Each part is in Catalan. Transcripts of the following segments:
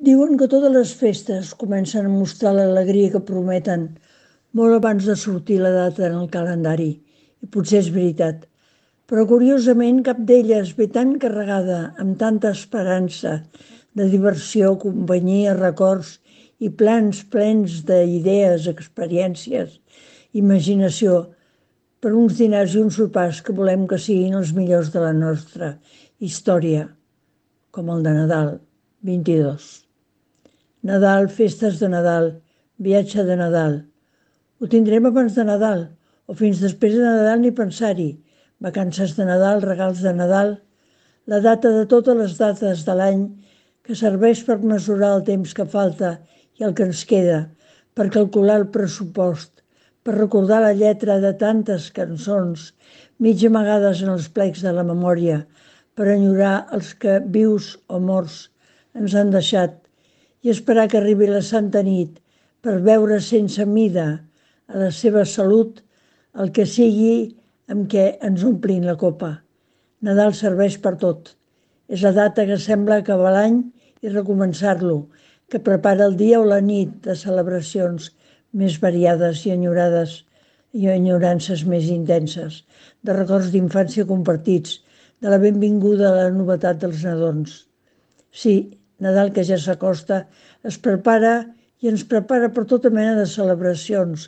Diuen que totes les festes comencen a mostrar l'alegria que prometen molt abans de sortir la data en el calendari. I potser és veritat. Però curiosament cap d'elles ve tan carregada amb tanta esperança de diversió, companyia, records i plans plens d'idees, experiències, imaginació per uns dinars i uns sopars que volem que siguin els millors de la nostra història, com el de Nadal 22. Nadal, festes de Nadal, viatge de Nadal. Ho tindrem abans de Nadal o fins després de Nadal ni pensar-hi. Vacances de Nadal, regals de Nadal, la data de totes les dates de l'any que serveix per mesurar el temps que falta i el que ens queda, per calcular el pressupost, per recordar la lletra de tantes cançons mig amagades en els plecs de la memòria, per enyorar els que vius o morts ens han deixat i esperar que arribi la Santa Nit per veure sense mida a la seva salut el que sigui amb què ens omplin la copa. Nadal serveix per tot. És la data que sembla acabar l'any i recomençar-lo, que prepara el dia o la nit de celebracions més variades i enyorades i enyorances més intenses, de records d'infància compartits, de la benvinguda a la novetat dels nadons. Sí, Nadal que ja s'acosta es prepara i ens prepara per tota mena de celebracions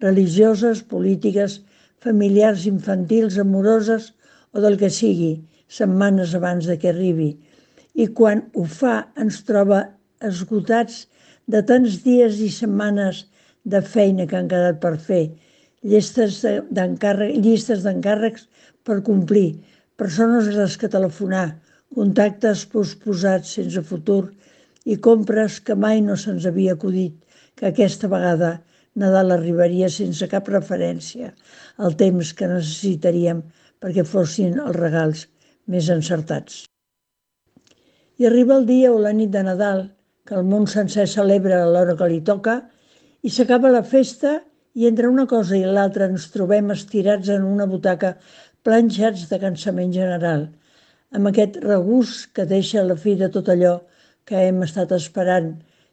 religioses, polítiques, familiars, infantils, amoroses o del que sigui, setmanes abans de que arribi. I quan ho fa ens troba esgotats de tants dies i setmanes de feina que han quedat per fer, llistes d'encàrrecs per complir, persones a les que telefonar, contactes posposats sense futur i compres que mai no se'ns havia acudit que aquesta vegada Nadal arribaria sense cap referència al temps que necessitaríem perquè fossin els regals més encertats. I arriba el dia o la nit de Nadal, que el món sencer celebra a l'hora que li toca, i s'acaba la festa i entre una cosa i l'altra ens trobem estirats en una butaca planxats de cansament general, amb aquest regust que deixa a la fi de tot allò que hem estat esperant,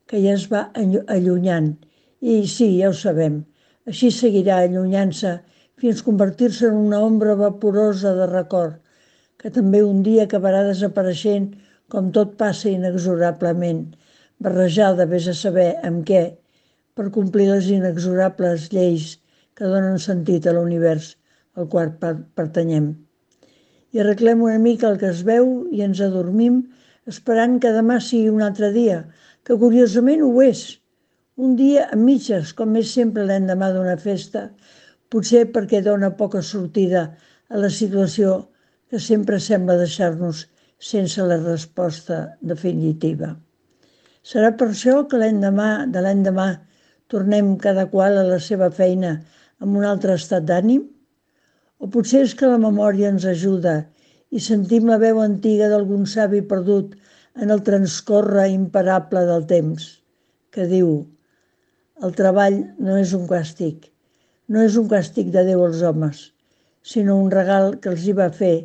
que ja es va allunyant. I sí, ja ho sabem, així seguirà allunyant-se fins convertir-se en una ombra vaporosa de record, que també un dia acabarà desapareixent com tot passa inexorablement, barrejada vés a saber amb què, per complir les inexorables lleis que donen sentit a l'univers al qual pertanyem. I arreglem una mica el que es veu i ens adormim esperant que demà sigui un altre dia, que curiosament ho és. Un dia a mitges, com és sempre l'endemà d'una festa, potser perquè dona poca sortida a la situació que sempre sembla deixar-nos sense la resposta definitiva. Serà per això que l'endemà de l'endemà tornem cada qual a la seva feina amb un altre estat d'ànim? O potser és que la memòria ens ajuda i sentim la veu antiga d'algun savi perdut en el transcórrer imparable del temps, que diu: el treball no és un càstig de Déu als homes, sinó un regal que els hi va fer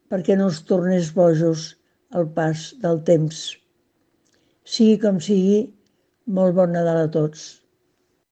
perquè no els tornés bojos al pas del temps. Sigui com sigui, molt bon Nadal a tots.